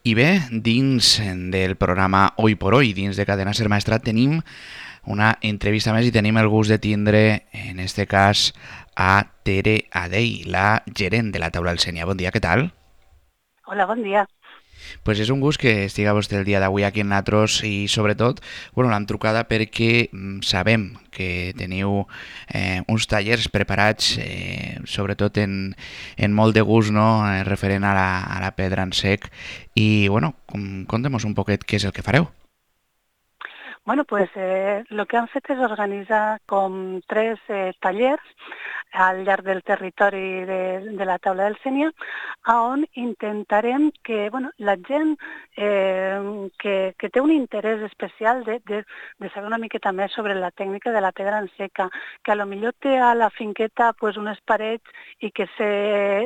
I bé, dins del programa Hoy por Hoy, dins de Cadena Ser Maestrat, tenim una entrevista més i tenim el gust de tindre, en este cas, a Tere Adey, la gerent de la taula del Sènia. Bon dia, què tal? Hola, bon dia. Pues és un gust que estiga vostè el dia d'avui aquí en Natros i sobretot, bueno, l'hem trucada perquè sabem que teniu uns tallers preparats sobretot en molt de gust, no? Referent a la pedra en sec i bueno, contem-nos un poquet què és el que fareu. Bueno, pues lo que han fet és organitzar com tres tallers al llarg del territori de la taula del Sénia, on intentarem que la gent que té un interès especial de saber una miqueta més sobre la tècnica de la pedra en seca, que a lo millor té a la finqueta pues, unes parets i que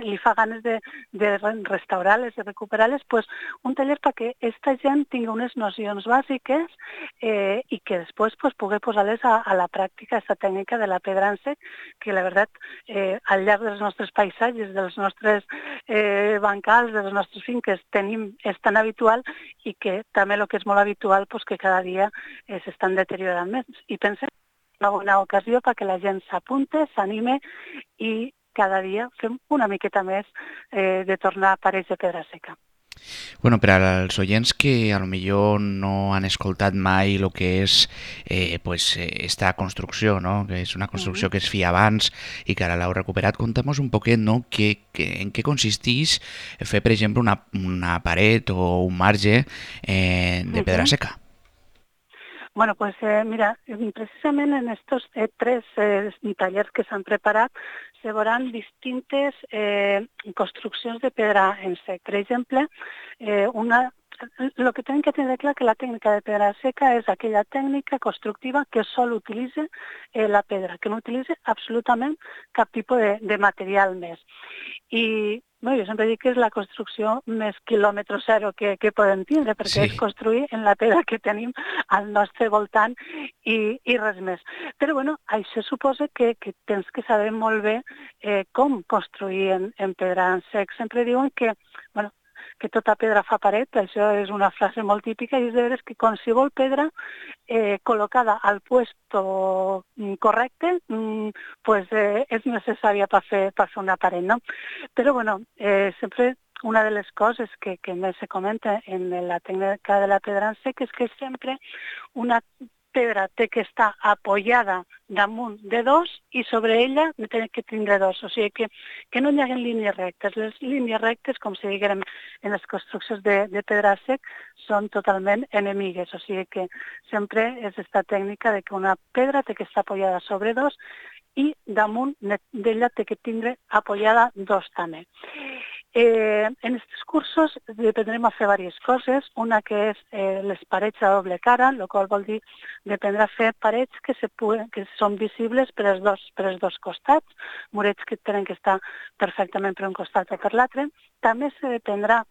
li fa ganes de restaurar-les, de recuperar-les, pues, un taller perquè aquesta gent tingui unes nocions bàsiques i que després pues, pugui posar-les a la pràctica aquesta tècnica de la pedra en sec, que la veritat al llarg dels nostres paisatges, dels nostres bancals, de les nostres finques és tan habitual i que també el que és molt habitual pues, que cada dia s'estan deteriorant més. I pensem una bona ocasió perquè la gent s'apunte, s'anime i cada dia fem una miqueta més de tornar a parets de pedra seca. Bueno, per als oients que a lo millor no han escoltat mai el que és pues, esta construcció, no? Que és una construcció que es feia abans i que ara l'heu recuperat, conta'm un poquet no? En què consisteix fer, per exemple, una paret o un marge de pedra seca. Bueno, pues mira, precisament en estos tres tallers que s'han preparat se veuran distintes construccions de pedra en sec. Per exemple, el que tenim que tenir clar que la tècnica de pedra seca és aquella tècnica constructiva que sol utilitza la pedra, que no utilitza absolutament cap tipus de material més. I jo sempre dic que és la construcció més quilòmetre zero que podem tindre, perquè és Sí. construir en la pedra que tenim al nostre voltant i res més. Però això suposa que tens que saber molt bé com construir en pedra en sec. Sempre diuen que tota pedra fa paret, això és una frase molt típica, i és de veres que qualsevol pedra col·locada al puesto correcte pues, és necessària per fer una paret, no? Però sempre una de les coses que més se comenta en la tècnica de la pedra en sec és que sempre una pedra té que estar apoyada damunt de dos i sobre ella té que tindre dos, o sigui que no hi hagi línies rectes. Les línies rectes, com si diguem en les construccions de pedra sec, són totalment enemigues, o sigui que sempre és aquesta tècnica de que una pedra té que estar apoyada sobre dos i damunt d'ella té que tindre apoyada dos també. En aquests cursos aprendrem a fer diverses coses, una que és les parets a doble cara, el qual vol dir aprendre a fer parets que són visibles per als dos costats, murets que tenen que estar perfectament per un costat o per l'altre. També s'aprendrà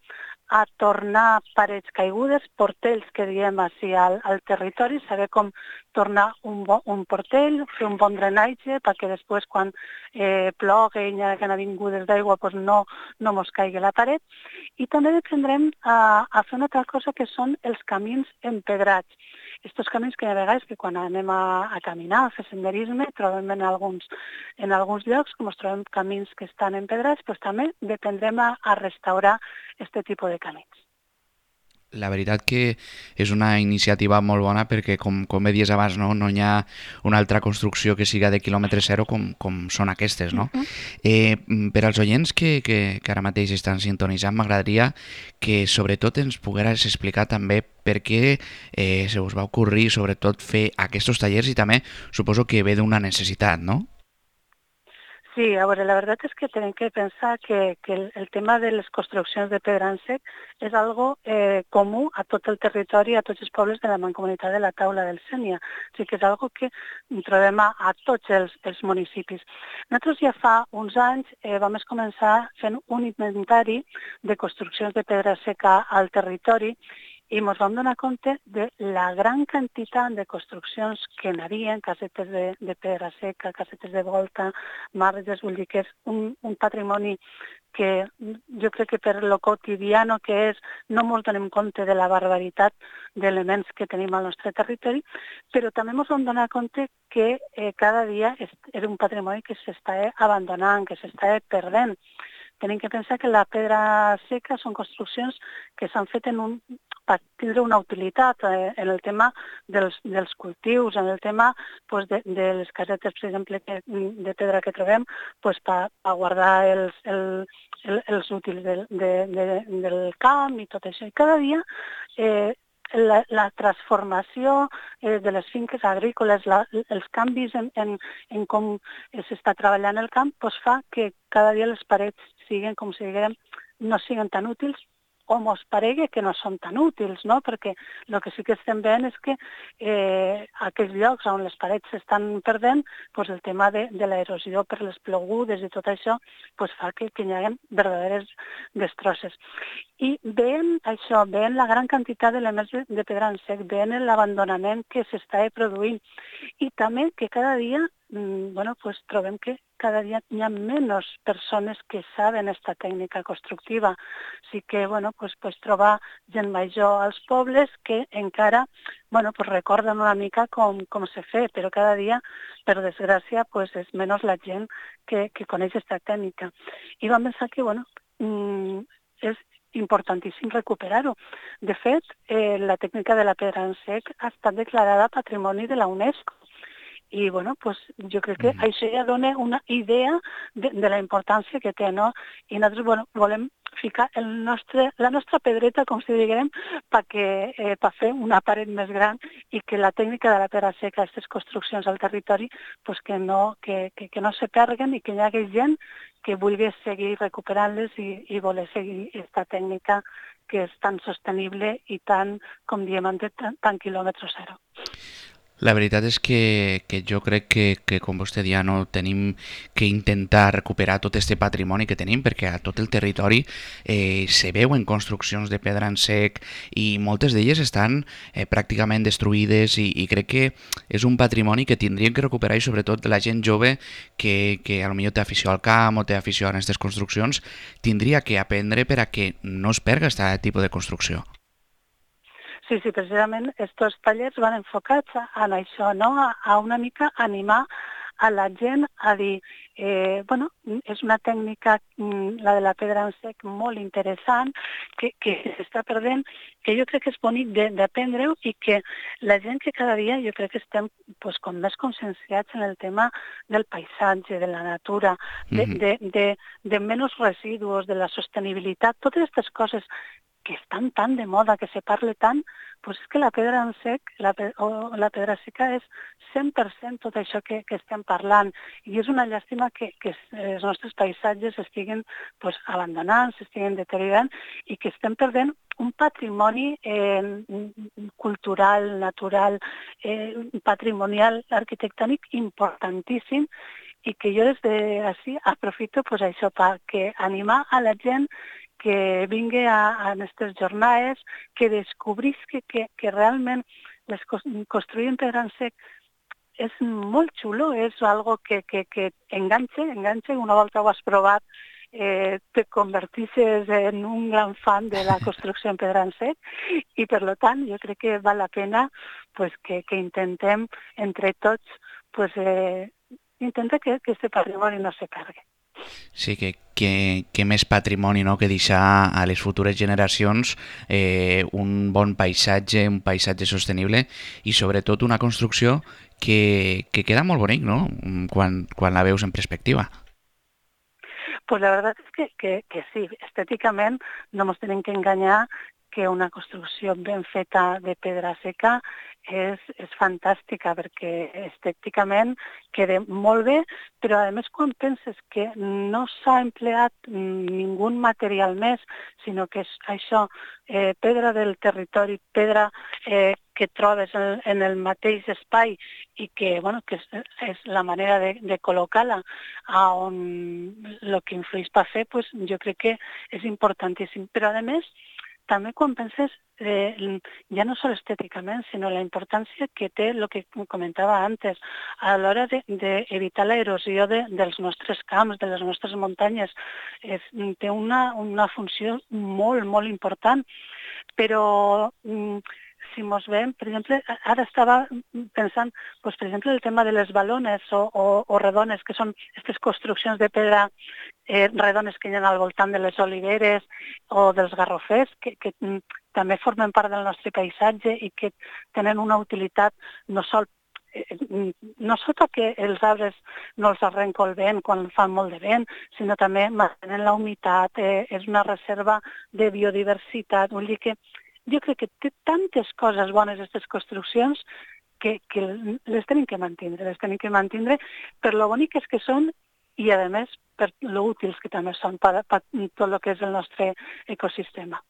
a tornar parets caigudes, portells que diem així al territori, saber com tornar un portell, fer un bon drenatge perquè després quan ploga i hi ha avingudes d'aigua doncs no mos caigui la paret. I també aprendrem a fer una altra cosa que són els camins empedrats. Estos camins que hi ha vegades que quan anem a caminar, a fer senderisme, trobem en alguns llocs, com es trobem camins que estan empedrats, doncs també aprendrem a restaurar aquest tipus de camins. La veritat que és una iniciativa molt bona perquè, com bé dies abans, no hi ha una altra construcció que siga de quilòmetre zero com són aquestes. No? Per als oients que ara mateix estan sintonitzant, m'agradaria que sobretot ens pogueres explicar també per què se us va ocorrir sobretot fer aquests tallers i també suposo que ve d'una necessitat, no? Sí, a veure, la veritat és que tenim que pensar que el tema de les construccions de pedra en sec és algo comú a tot el territori, a tots els pobles de la mancomunitat de la Taula del Sénia. O sigui que és algo que trobem a tots els municipis. Nosaltres ja fa uns anys vam començar fent un inventari de construccions de pedra seca al territori i ens vam donar compte de la gran quantitat de construccions que n'hi havia, casetes de pedra seca, casetes de volta, marges, vull dir que és un patrimoni que jo crec que per lo quotidiano que és no ens donem compte de la barbaritat d'elements que tenim al nostre territori, però també ens vam donar compte que cada dia és un patrimoni que s'està abandonant, que s'està perdent. Tenim que pensar que la pedra seca són construccions que s'han fet per tindre una utilitat en el tema dels cultius, en el tema pues, de les casetes, per exemple, de pedra que trobem, pues, per guardar els útils del camp i tot això. I cada dia la transformació de les finques agrícoles, els canvis en com s'està treballant el camp, pues fa que cada dia les parets siguin, com si diguem, no siguin tan útils o mos paregui que no són tan útils, no? Perquè el que sí que estem veient és que aquells llocs on les parets s'estan perdent, pues el tema de l'erosió per les plogudes i tot això pues fa que hi hagi verdaderes destrosses. I veient això, veient la gran quantitat d'elements de pedra en sec, veient l'abandonament que s'està produint i també que cada dia pues trobem que cada dia hi ha menys persones que saben aquesta tècnica constructiva. Sí que pues trobar gent major als pobles que encara pues recorden una mica com se fa, però cada dia, per desgràcia, pues és menys la gent que coneix aquesta tècnica. I vam pensar que és importantíssim recuperar-ho. De fet, la tècnica de la pedra en sec ha estat declarada Patrimoni de la UNESCO. I pues jo crec que això ja dona una idea de la importància que té, no? I nosaltres volem ficar la nostra pedreta, com si diguem, per fer una paret més gran i que la tècnica de la pedra seca, aquestes construccions al territori, pues que no se perguen i que hi hagi gent que vulgui seguir recuperant-les i voler seguir aquesta tècnica que és tan sostenible i tan, com diem, tan quilòmetre zero. La veritat és que jo crec que, com vostè dia, no tenim que intentar recuperar tot este patrimoni que tenim, perquè a tot el territori se veuen construccions de pedra en sec i moltes d'elles estan pràcticament destruïdes i crec que és un patrimoni que tindríem que recuperar i sobretot la gent jove que a lo millor té afició al camp o té afició a aquestes construccions tindria que aprendre per a que no es perga aquest tipus de construcció. Sí, precisament aquests tallers van enfocats en això, no? A una mica animar a la gent a dir, és una tècnica, la de la pedra en sec, molt interessant, que s'està perdent, que jo crec que és bonic d'aprendre-ho i que la gent que cada dia jo crec que estem com més conscienciats en el tema del paisatge, de la natura, de menys residus, de la sostenibilitat, totes aquestes coses que estan tan de moda, que se parle tant, doncs és que la pedra en sec, la pedra seca és 100% tot això que estem parlant. I és una llàstima que els nostres paisatges estiguin abandonant, s'estiguen deteriorant i que estem perdent un patrimoni cultural, natural, patrimonial, arquitectònic importantíssim i que jo des d'ací aprofito això per animar a la gent que vingui a aquestes jornades, que descobrisqui que realment construir en pedra en sec és molt xulo, és algo que enganxa, una volta ho has provat, te convertisses en un gran fan de la construcció en pedra en sec i, per tant, jo crec que val la pena que intentem entre tots intentar que aquest patrimoni no se perdi. Sí, que més patrimoni, no?, que deixar a les futures generacions un bon paisatge, un paisatge sostenible i sobretot una construcció que queda molt bonic, no?, quan la veus en perspectiva. Pues la verdad es que sí, estèticament no ens tenim que enganyar que una construcció ben feta de pedra seca és fantàstica perquè estèticament queda molt bé, però a més quan penses que no s'ha empleat ningú material més, sinó que és això, pedra del territori, pedra que trobes en el mateix espai i que és la manera de col·locar-la on el que influeix per fer, jo crec que és importantíssim. Però a més també quan penses ja no sols estèticament, sinó la importància que té el que comentava antes, a l'hora d'evitar l'erosió dels nostres camps, de les nostres muntanyes. Té una funció molt, molt important, però si mos veiem, per exemple, ara estava pensant, doncs, per exemple, el tema de les balones o redones, que són aquestes construccions de pedra redones que hi ha al voltant de les oliveres o dels garrofers, que també formen part del nostre paisatge i que tenen una utilitat no sols perquè els arbres no els arrenca el vent quan fan molt de vent, sinó també mantenen la humitat, és una reserva de biodiversitat. Vull dir que jo crec que té tantes coses bones aquestes construccions que les tenim que mantindre per lo boniques que són i, a més, per lo útils que també són per tot el que és el nostre ecosistema.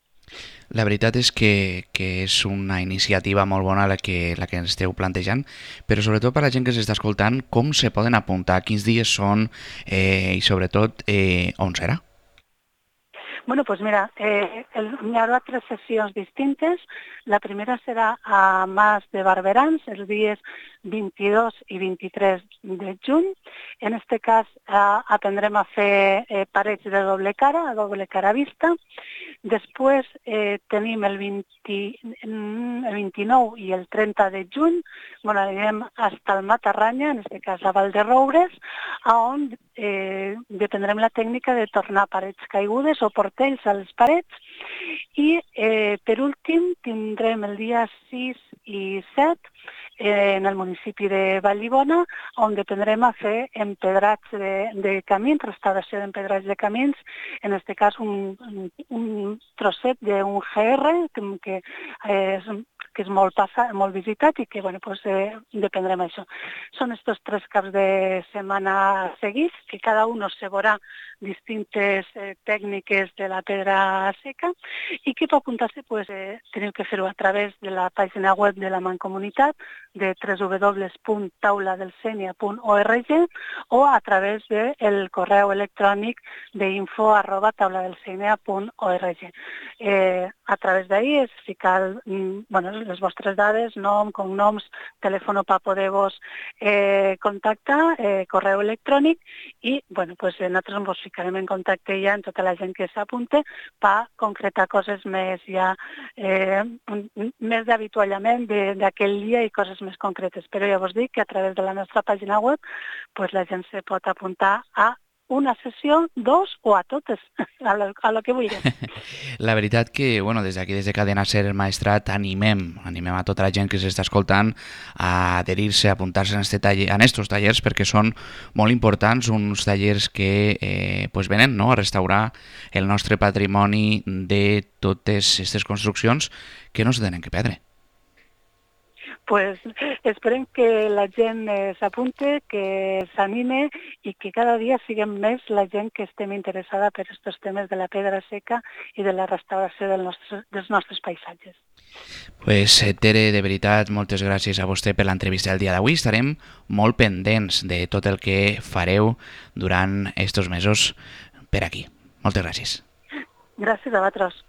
La veritat és que és una iniciativa molt bona la que esteu plantejant, però sobretot per a la gent que s'està escoltant, com se poden apuntar, quins dies són i sobretot on serà? Bueno, pues mira, hi haurà 3 sessions distintes. La primera serà a Mas de Barberans, els dies 22 i 23 de juny. En aquest cas aprendrem a fer parets de doble cara vista. Després tenim el 29 i el 30 de juny, anirem fins al Matarranya, en aquest cas a Valderoures, on dependrem la tècnica de tornar parets caigudes o portells a les parets. I per últim tindrem el dia 6 i 7 en el municipi de Vallibona, on dependrem a fer empedrats de camins, restauració d'empedrats de camins, en aquest cas un trosset d'un GR que és molt visitat i que dependrem d'això. Són aquests 3 caps de setmana seguits, que cada un se veurà distintes tècniques de la pedra seca i que per apuntar-se teniu que fer-ho a través de la pàgina web de la Mancomunitat de www.tauladelsenia.org o a través del correu electrònic d'info@tauladelsenia.org. A través d'ahir és ficar les vostres dades, nom, cognoms, telèfon per poder-vos contactar, correu electrònic i nosaltres ens ficarem en contacte ja amb tota la gent que s'apunte per concretar coses més d'avituallament d'aquell dia i coses més concretes. Però ja vos dic que a través de la nostra pàgina web la gent se pot apuntar a una sessió, 2 o a totes, a lo que vulgui. La veritat que, des d'aquí, des de Cadena Ser el Maestrat, animem a tota la gent que s'està escoltant a adherir-se, a apuntar-se en estos tallers, perquè són molt importants, uns tallers que venen a restaurar el nostre patrimoni de totes aquestes construccions que no se tenen que perdre. Esperem que la gent s'apunte, que s'anime i que cada dia siguem més la gent que estem interessada per aquests temes de la pedra seca i de la restauració dels nostres paisatges. Tere, de veritat, moltes gràcies a vostè per l'entrevista del dia d'avui. Estarem molt pendents de tot el que fareu durant aquests mesos per aquí. Moltes gràcies. Gràcies a vosaltres.